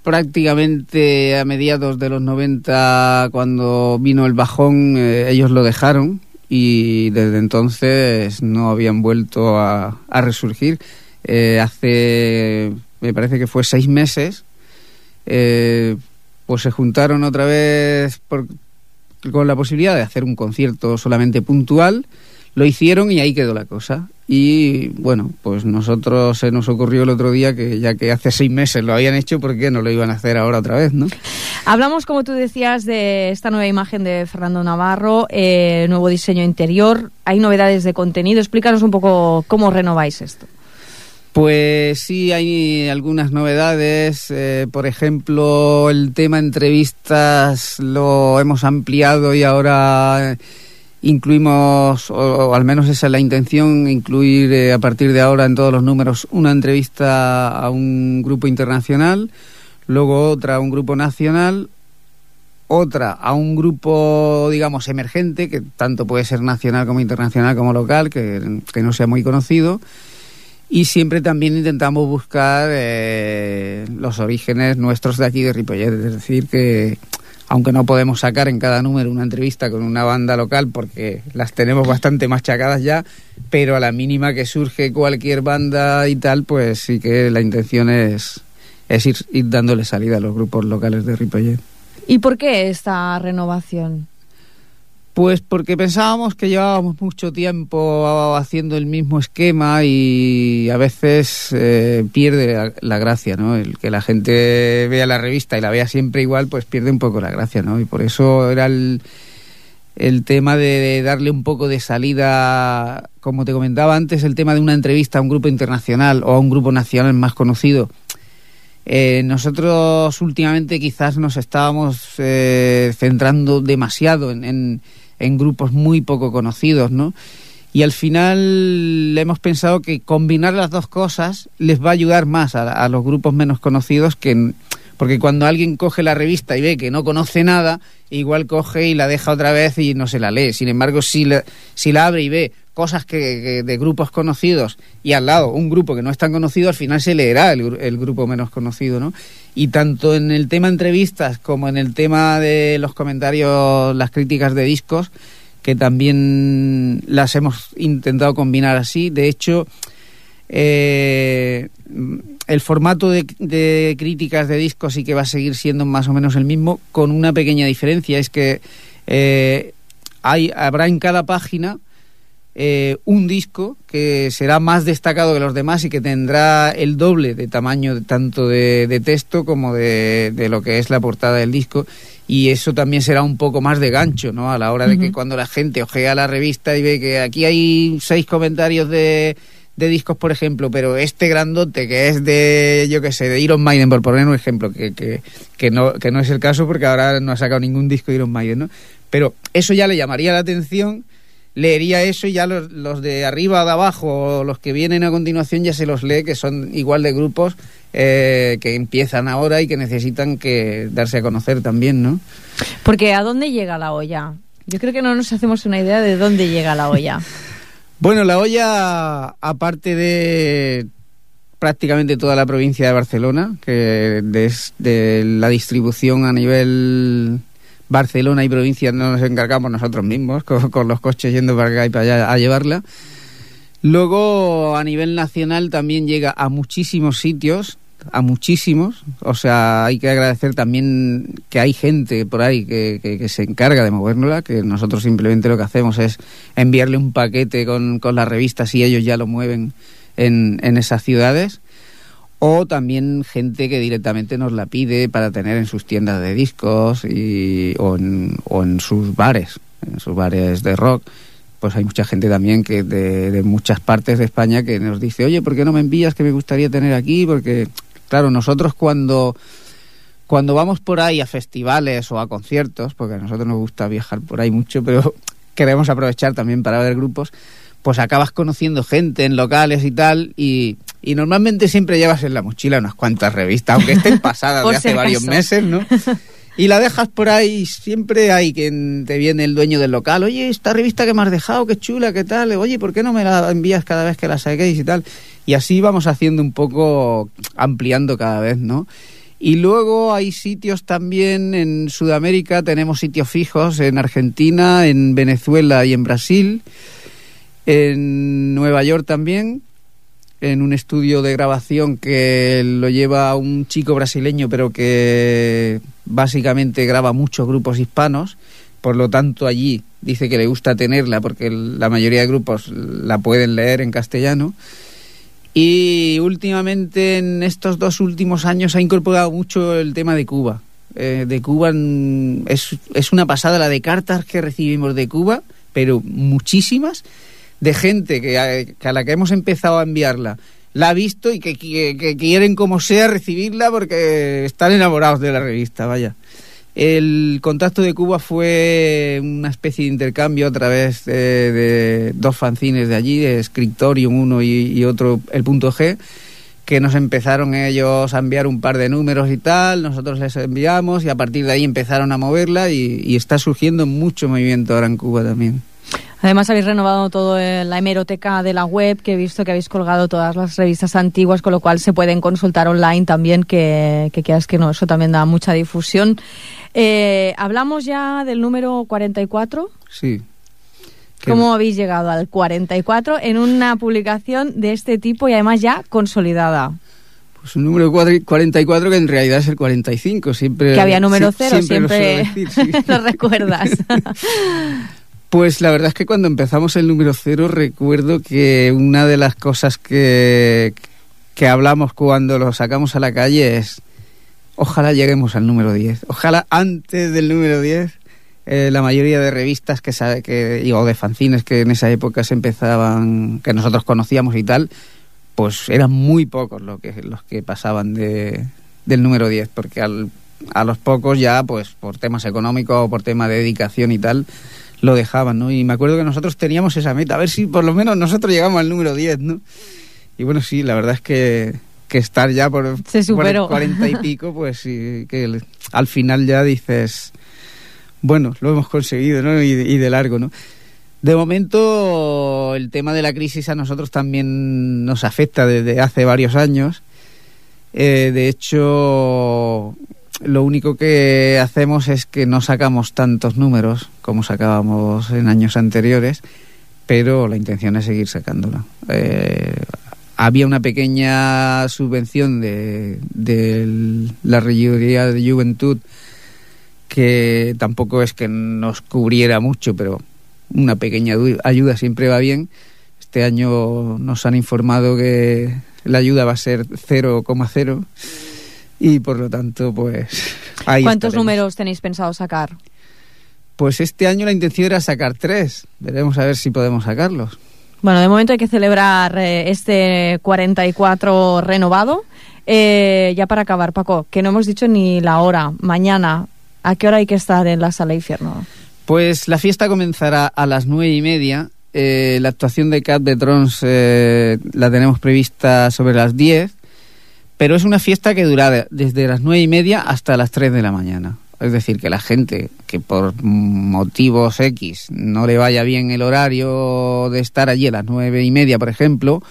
prácticamente a mediados de los noventa, cuando vino el bajón, eh, ellos lo dejaron y desde entonces no habían vuelto a, a resurgir. Eh, hace, me parece que fue seis meses, eh, pues se juntaron otra vez por con la posibilidad de hacer un concierto solamente puntual. Lo hicieron y ahí quedó la cosa. Y bueno, pues nosotros se nos ocurrió el otro día que ya que hace seis meses lo habían hecho, ¿por qué no lo iban a hacer ahora otra vez, no? Hablamos, como tú decías, de esta nueva imagen de Fernando Navarro, eh, nuevo diseño interior, hay novedades de contenido. Explícanos un poco cómo renováis esto. Pues sí, hay algunas novedades. Eh, por ejemplo, el tema entrevistas lo hemos ampliado y ahora incluimos, o, o al menos esa es la intención, incluir eh, a partir de ahora en todos los números una entrevista a un grupo internacional, luego otra a un grupo nacional, otra a un grupo, digamos, emergente, que tanto puede ser nacional como internacional como local, que, que no sea muy conocido. Y siempre también intentamos buscar eh, los orígenes nuestros de aquí de Ripollet, es decir, que aunque no podemos sacar en cada número una entrevista con una banda local porque las tenemos bastante machacadas ya, pero a la mínima que surge cualquier banda y tal, pues sí que la intención es, es ir, ir dándole salida a los grupos locales de Ripollet. ¿Y por qué esta renovación? Pues porque pensábamos que llevábamos mucho tiempo haciendo el mismo esquema y a veces eh, pierde la, la gracia, ¿no? El que la gente vea la revista y la vea siempre igual, pues pierde un poco la gracia, ¿no? Y por eso era el, el tema de, de darle un poco de salida, como te comentaba antes, el tema de una entrevista a un grupo internacional o a un grupo nacional más conocido. Eh, nosotros últimamente quizás nos estábamos eh, centrando demasiado en, en, en grupos muy poco conocidos, ¿no? Y al final hemos pensado que combinar las dos cosas les va a ayudar más a, a los grupos menos conocidos, que porque cuando alguien coge la revista y ve que no conoce nada, igual coge y la deja otra vez y no se la lee. Sin embargo, si la, si la abre y ve cosas que, que de grupos conocidos y al lado un grupo que no es tan conocido, al final se leerá el, el grupo menos conocido, ¿no? Y tanto en el tema entrevistas como en el tema de los comentarios, las críticas de discos, que también las hemos intentado combinar así. De hecho, eh, el formato de, de críticas de discos sí que va a seguir siendo más o menos el mismo, con una pequeña diferencia, es que eh, hay, habrá en cada página Eh, un disco que será más destacado que los demás y que tendrá el doble de tamaño tanto de, de texto como de, de lo que es la portada del disco, y eso también será un poco más de gancho, ¿no? A la hora de uh-huh. que cuando la gente ojea la revista y ve que aquí hay seis comentarios de, de discos, por ejemplo, pero este grandote que es de, yo qué sé, de Iron Maiden, por poner un ejemplo, que, que, que, no, que no es el caso porque ahora no ha sacado ningún disco de Iron Maiden, ¿no? Pero eso ya le llamaría la atención, leería eso y ya los, los de arriba o de abajo o los que vienen a continuación ya se los lee, que son igual de grupos eh, que empiezan ahora y que necesitan que darse a conocer también, ¿no? Porque ¿a dónde llega la olla? Yo creo que no nos hacemos una idea de dónde llega la olla. Bueno, la olla, aparte de prácticamente toda la provincia de Barcelona, que de, de la distribución a nivel Barcelona y provincia nos encargamos nosotros mismos, con, con los coches yendo para acá y para allá a llevarla. Luego, a nivel nacional también llega a muchísimos sitios, a muchísimos. O sea, hay que agradecer también que hay gente por ahí que, que, que se encarga de movernosla, que nosotros simplemente lo que hacemos es enviarle un paquete con, con las revistas y ellos ya lo mueven en, en esas ciudades. O también gente que directamente nos la pide para tener en sus tiendas de discos y, o, en, o en sus bares, en sus bares de rock. Pues hay mucha gente también que de, de muchas partes de España que nos dice, oye, ¿por qué no me envías que me gustaría tener aquí? Porque, claro, nosotros cuando, cuando vamos por ahí a festivales o a conciertos, porque a nosotros nos gusta viajar por ahí mucho, pero queremos aprovechar también para ver grupos, pues acabas conociendo gente en locales y tal, y, y normalmente siempre llevas en la mochila unas cuantas revistas, aunque estén pasadas de hace si varios meses, ¿no? Y la dejas por ahí, siempre hay quien te viene el dueño del local, oye, esta revista que me has dejado, qué chula, qué tal, oye, ¿por qué no me la envías cada vez que la saquéis y tal? Y así vamos haciendo un poco, ampliando cada vez, ¿no? Y luego hay sitios también en Sudamérica, tenemos sitios fijos en Argentina, en Venezuela y en Brasil, en Nueva York también, en un estudio de grabación que lo lleva un chico brasileño, pero que básicamente graba muchos grupos hispanos, por lo tanto allí dice que le gusta tenerla porque la mayoría de grupos la pueden leer en castellano. Y últimamente, en estos dos últimos años, ha incorporado mucho el tema de Cuba. Eh, de Cuba es, es una pasada la de cartas que recibimos de Cuba, pero muchísimas, de gente que a, que a la que hemos empezado a enviarla la ha visto y que, que, que quieren como sea recibirla porque están enamorados de la revista, vaya. El contacto de Cuba fue una especie de intercambio a través de, de dos fanzines de allí, de Scriptorium uno y, y otro, el Punto G, que nos empezaron ellos a enviar un par de números y tal, nosotros les enviamos y a partir de ahí empezaron a moverla y, y está surgiendo mucho movimiento ahora en Cuba también. Además habéis renovado todo la hemeroteca de la web, que he visto que habéis colgado todas las revistas antiguas, con lo cual se pueden consultar online también, que, que quieras que no, eso también da mucha difusión. Eh, ¿Hablamos ya del número cuarenta y cuatro? Sí. ¿Cómo que... habéis llegado al cuarenta y cuatro en una publicación de este tipo y además ya consolidada? Pues un número cuarenta y cuatro que en realidad es el cuarenta y cinco. Siempre, que había número cero, siempre, siempre, lo, decir, sí. lo recuerdas. Pues la verdad es que cuando empezamos el número cero recuerdo que una de las cosas que, que hablamos cuando lo sacamos a la calle es ojalá lleguemos al número diez. Ojalá antes del número diez eh, la mayoría de revistas que, que o de fanzines que en esa época se empezaban, que nosotros conocíamos y tal, pues eran muy pocos los que, los que pasaban de, del número diez, porque al, a los pocos ya, pues por temas económicos o por tema de dedicación y tal, lo dejaban, ¿no? Y me acuerdo que nosotros teníamos esa meta, a ver si por lo menos nosotros llegamos al número diez, ¿no? Y bueno, sí, la verdad es que, que estar ya por, por el cuarenta y pico, pues sí, que el, al final ya dices, bueno, lo hemos conseguido, ¿no? Y, y de largo, ¿no? De momento, el tema de la crisis a nosotros también nos afecta desde hace varios años. Eh, de hecho... Lo único que hacemos es que no sacamos tantos números como sacábamos en años anteriores, pero la intención es seguir sacándola. Eh, había una pequeña subvención de, de la Regiduría de Juventud que tampoco es que nos cubriera mucho, pero una pequeña ayuda siempre va bien. Este año nos han informado que la ayuda va a ser cero coma cero. Y por lo tanto, pues ahí ¿Cuántos estaremos. números tenéis pensado sacar? Pues este año la intención era sacar tres. Veremos a ver si podemos sacarlos. Bueno, de momento hay que celebrar eh, este cuarenta y cuatro renovado. Eh, ya para acabar, Paco, que no hemos dicho ni la hora. Mañana, ¿a qué hora hay que estar en la Sala Infierno? Pues la fiesta comenzará a las nueve y media. Eh, la actuación de Cat de Trons eh, la tenemos prevista sobre las diez. Pero es una fiesta que dura desde las nueve y media hasta las tres de la mañana. Es decir, que la gente que por motivos X no le vaya bien el horario de estar allí a las nueve y media, por ejemplo,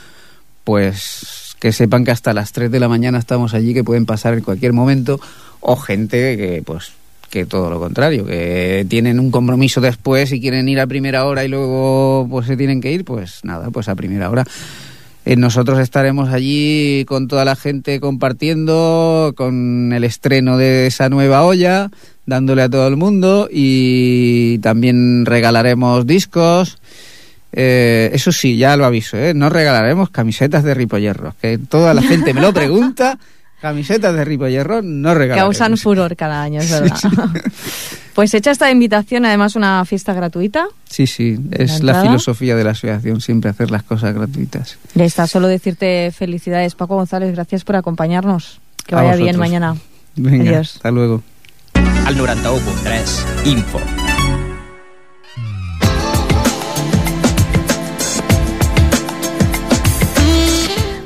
pues que sepan que hasta las tres de la mañana estamos allí, que pueden pasar en cualquier momento, o gente que pues que todo lo contrario, que tienen un compromiso después y quieren ir a primera hora y luego pues se tienen que ir, pues nada, pues a primera hora. Nosotros estaremos allí con toda la gente compartiendo, con el estreno de esa nueva olla, dándole a todo el mundo, y también regalaremos discos. Eh, eso sí, ya lo aviso, ¿eh? No regalaremos camisetas de Ripollerros, que toda la gente me lo pregunta. Camisetas de Ripollerros no regalaremos. Causan furor cada año, es verdad. Sí, sí. Pues hecha esta invitación, además una fiesta gratuita. Sí, sí, es la, la filosofía de la asociación, siempre hacer las cosas gratuitas. Ya está, solo decirte felicidades, Paco González, gracias por acompañarnos. Que vaya bien mañana. Venga, adiós. Hasta luego. Al noranta u punt tres, Info.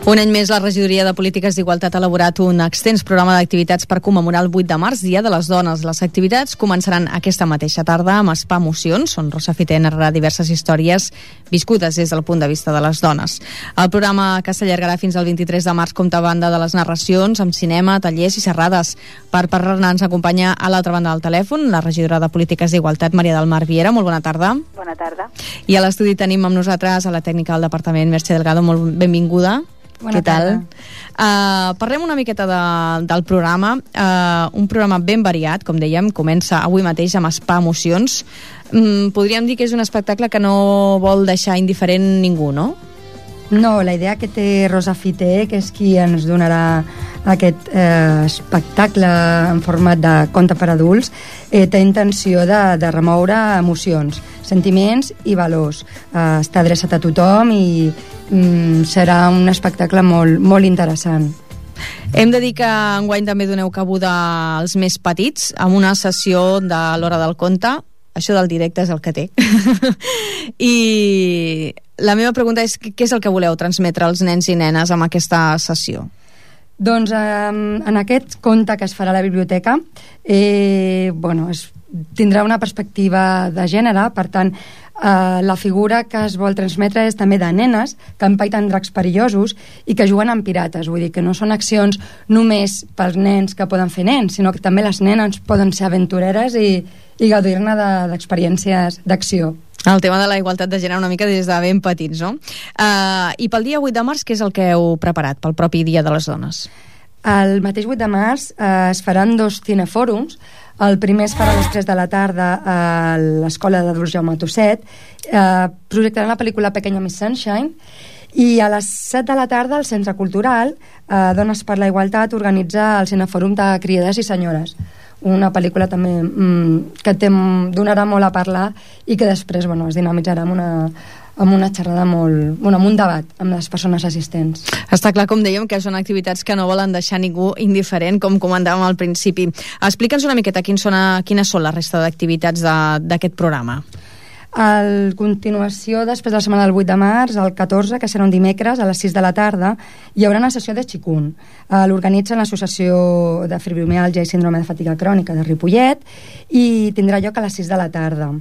Un any més, la Regidoria de Polítiques d'Igualtat ha elaborat un extens programa d'activitats per commemorar el vuit de març, Dia de les Dones. Les activitats començaran aquesta mateixa tarda amb Spa Emocions, on Rosa Fité narrarà diverses històries viscudes des del punt de vista de les dones. El programa, que s'allargarà fins al vint-i-tres de març, compta a banda de les narracions amb cinema, tallers i xerrades. Per parlar-ne ens acompanya a l'altra banda del telèfon la regidora de Polítiques d'Igualtat, Maria del Mar Viera. Molt bona tarda. Bona tarda. I a l'estudi tenim amb nosaltres a la tècnica del departament, Mercè Delgado. Molt benvinguda. Bona Què tal? tarda. Uh, parlem una miqueta de, del programa. Uh, un programa ben variat, com dèiem, comença avui mateix amb Spa Emocions. Mm, podríem dir que és un espectacle que no vol deixar indiferent ningú, no? No, la idea que té Rosa Fité, que és qui ens donarà aquest eh, espectacle en format de conte per adults, eh, té intenció de, de remoure emocions, sentiments i valors. Eh, està adreçat a tothom i mm, serà un espectacle molt, molt interessant. Hem de dir que enguany també doneu cabuda als més petits amb una sessió de l'Hora del Conte. Això del directe és el que té. I la meva pregunta és què és el que voleu transmetre als nens i nenes amb aquesta sessió? Doncs eh, en aquest conte que es farà a la biblioteca eh, bueno, es, tindrà una perspectiva de gènere, per tant eh, la figura que es vol transmetre és també de nenes que empaiten dracs perillosos i que juguen amb pirates, vull dir que no són accions només pels nens que poden fer nens, sinó que també les nenes poden ser aventureres i, i gaudir-ne d'experiències de, d'acció. El tema de la igualtat de gènere una mica des de ben petits, no? Uh, I pel dia vuit de març, què és el que heu preparat pel propi Dia de les Dones? El mateix vuit de març eh, es faran dos cinefòrums. El primer es farà a les tres de la tarda a l'Escola d'Adults Jaume Tosset. Eh, projectaran la pel·lícula Pequeña Miss Sunshine. I a les set de la tarda al Centre Cultural eh, Dones per la Igualtat organitza el cinefòrum de Criades i Senyores, una pel·lícula també mmm, que té, donarà molt a parlar i que després bueno, es dinamitzarà amb una, amb una xerrada molt, bueno, amb un debat amb les persones assistents. Està clar, com dèiem, que són activitats que no volen deixar ningú indiferent, com comentàvem al principi. Explica'ns una miqueta quins són, quines són la resta d'activitats d'aquest programa. A continuació, després de la setmana del vuit de març, el catorze, que serà un dimecres, a les sis de la tarda, hi haurà una sessió de Qigong. Eh, L'organitza l'Associació de Fibromiàlgia i Síndrome de Fatiga Crònica de Ripollet i tindrà lloc a les sis de la tarda.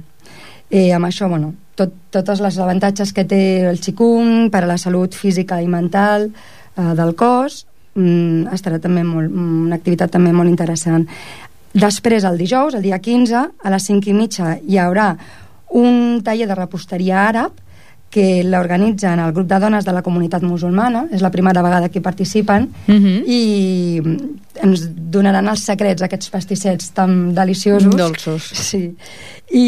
Eh, amb això, bueno, tot, tots els avantatges que té el Qigong per a la salut física i mental eh, del cos, mm, estarà també molt, una activitat també molt interessant. Després, el dijous, el dia quinze, a les cinc i mitja, hi haurà un taller de reposteria àrab que l'organitzen el grup de dones de la comunitat musulmana, és la primera vegada que hi participen, uh-huh. i ens donaran els secrets d'aquests pastissets tan deliciosos. Dolços. Sí. I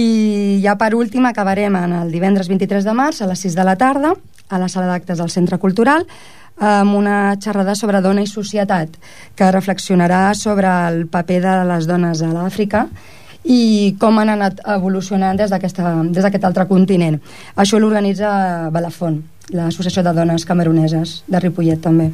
ja per últim acabarem en el divendres vint-i-tres de març a les sis de la tarda a la sala d'actes del Centre Cultural amb una xerrada sobre dona i societat que reflexionarà sobre el paper de les dones a l'Àfrica i com han anat evolucionant des d'aquest altre continent. Això l'organitza Balafon, l'Associació de Dones Cameruneses de Ripollet també.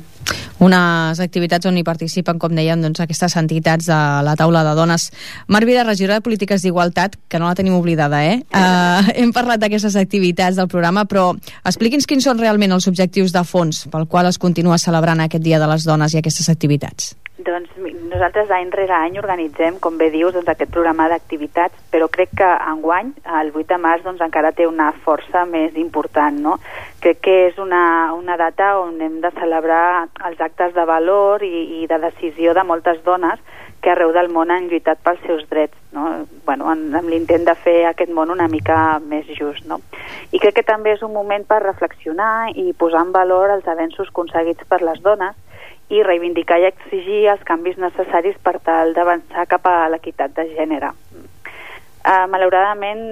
Unes activitats on hi participen, com dèiem, doncs, aquestes entitats de la taula de dones. Mar Vida, regidora de Polítiques d'Igualtat, que no la tenim oblidada, eh? Uh, hem parlat d'aquestes activitats del programa, però expliqui'ns quins són realment els objectius de fons pel qual es continua celebrant aquest Dia de les Dones i aquestes activitats. Doncs nosaltres any rere any organitzem, com bé dius, doncs, aquest programa d'activitats, però crec que enguany, el vuit de març, doncs, encara té una força més important, no? Crec que és una, una data on hem de celebrar els actes de valor i, i de decisió de moltes dones que arreu del món han lluitat pels seus drets, no? Bueno, amb l'intent de fer aquest món una mica més just, no? I crec que també és un moment per reflexionar i posar en valor els avenços aconseguits per les dones i reivindicar i exigir els canvis necessaris per tal d'avançar cap a l'equitat de gènere. Uh, malauradament,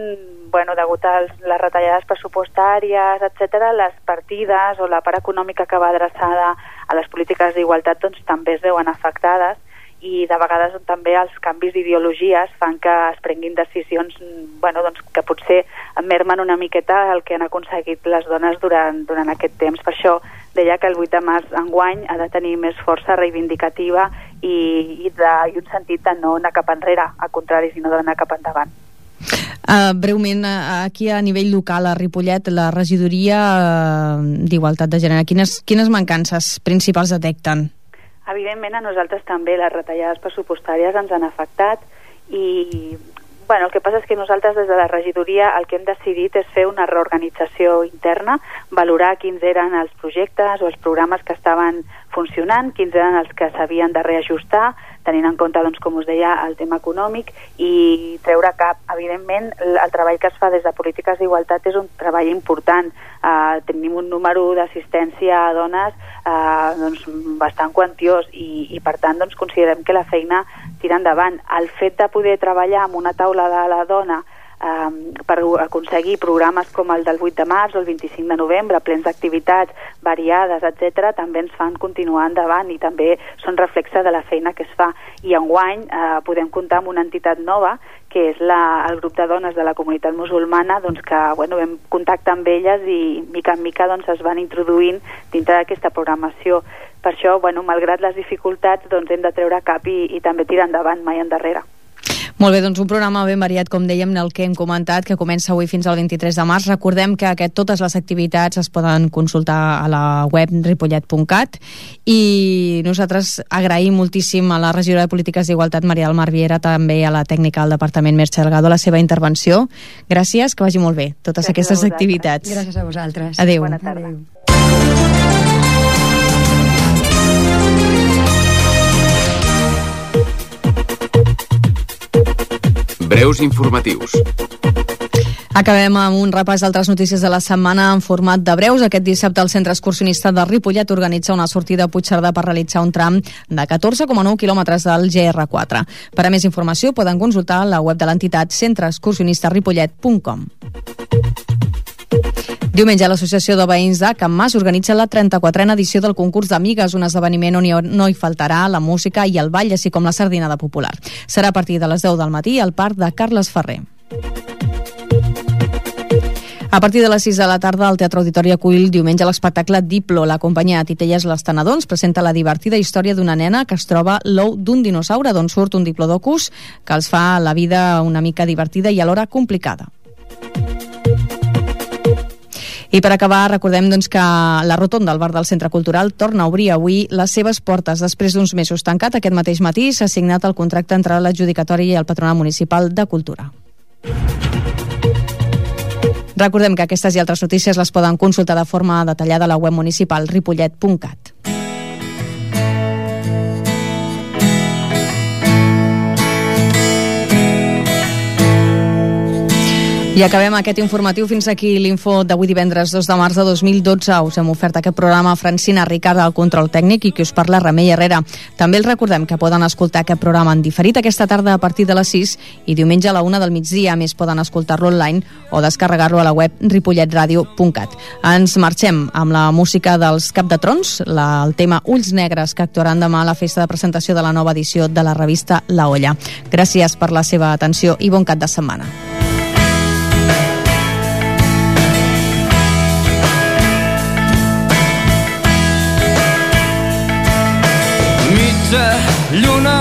bueno, degut a les retallades pressupostàries, etcètera, les partides o la part econòmica que va adreçada a les polítiques d'igualtat doncs, també es veuen afectades i de vegades també els canvis d'ideologies fan que es prenguin decisions bueno, doncs, que potser mermen una miqueta el que han aconseguit les dones durant, durant aquest temps. Per això deia que el vuit de març enguany ha de tenir més força reivindicativa i, i, de, i un sentit de no anar cap enrere, al contrari, sinó d'anar cap endavant. Uh, breument, uh, aquí a nivell local, a Ripollet, la regidoria uh, d'Igualtat de Gènere, quines, quines mancances principals detecten? Evidentment, a nosaltres també les retallades pressupostàries ens han afectat i Bueno, el que passa és que nosaltres des de la regidoria el que hem decidit és fer una reorganització interna, valorar quins eren els projectes o els programes que estaven funcionant, quins eren els que s'havien de reajustar, tenint en compte, doncs, com us deia, el tema econòmic, i treure cap. Evidentment, el, el treball que es fa des de polítiques d'igualtat és un treball important. Uh, tenim un número d'assistència a dones uh, doncs, bastant quantiós i, i per tant doncs, considerem que la feina tira endavant. El fet de poder treballar amb una taula de la dona Um, per aconseguir programes com el del vuit de març o el vint-i-cinc de novembre, plens d'activitats variades, etcètera, també ens fan continuar endavant i també són reflexe de la feina que es fa. I enguany uh, podem comptar amb una entitat nova, que és la, el grup de dones de la comunitat musulmana, doncs que bueno, vam contactar amb elles i mica en mica doncs, es van introduint dintre d'aquesta programació. Per això, bueno, malgrat les dificultats, doncs, hem de treure cap i, i també tirar endavant, mai endarrere. Molt bé, doncs un programa ben variat, com dèiem, el que hem comentat, que comença avui fins al vint-i-tres de març. Recordem que aquest, totes les activitats es poden consultar a la web ripollet punt cat i nosaltres agraïm moltíssim a la regidora de Polítiques d'Igualtat, Maria del Mar Viera, també a la tècnica del Departament, Merche Delgado, la seva intervenció. Gràcies, que vagi molt bé totes Gràcies aquestes activitats. Gràcies a vosaltres. Adéu. Bona tarda. Adéu. Breus informatius. Acabem amb un repàs d'altres notícies de la setmana en format de breus. Aquest dissabte el Centre Excursionista de Ripollet organitza una sortida a Puigcerdà per realitzar un tram de catorze coma nou quilòmetres del G R quatre. Per a més informació poden consultar la web de l'entitat centre excursionista ripollet punt com. Diumenge l'Associació de Veïns de Can Mas organitza la trenta-quatrena edició del concurs d'Amigues, un esdeveniment on no hi faltarà la música i el ball, així com la sardinada popular. Serà a partir de les deu del matí al Parc de Carles Ferrer. A partir de les sis de la tarda, el Teatre Auditori acull diumenge l'espectacle Diplo. La companyia Titelles Les Tenedons presenta la divertida història d'una nena que es troba l'ou d'un dinosaure, d'on surt un diplodocus que els fa la vida una mica divertida i alhora complicada. I per acabar, recordem doncs, que la rotonda del bar del Centre Cultural torna a obrir avui les seves portes. Després d'uns mesos tancat, aquest mateix matí s'ha signat el contracte entre l'adjudicatori i el Patronat Municipal de Cultura. Recordem que aquestes i altres notícies les poden consultar de forma detallada a la web municipal ripollet punt cat. I acabem aquest informatiu. Fins aquí l'info d'avui divendres dos de març de dos mil dotze. Us hem ofert aquest programa Francina Ricard al control tècnic i qui us parla Remei Herrera. També els recordem que poden escoltar aquest programa en diferit aquesta tarda a partir de les sis i diumenge a la una del migdia. A més, poden escoltar-lo online o descarregar-lo a la web ripollet ràdio punt cat. Ens marxem amb la música dels Cap de Trons, la, el tema Ulls Negres, que actuaran demà a la festa de presentació de la nova edició de la revista La Olla. Gràcies per la seva atenció i bon cap de setmana. Lluna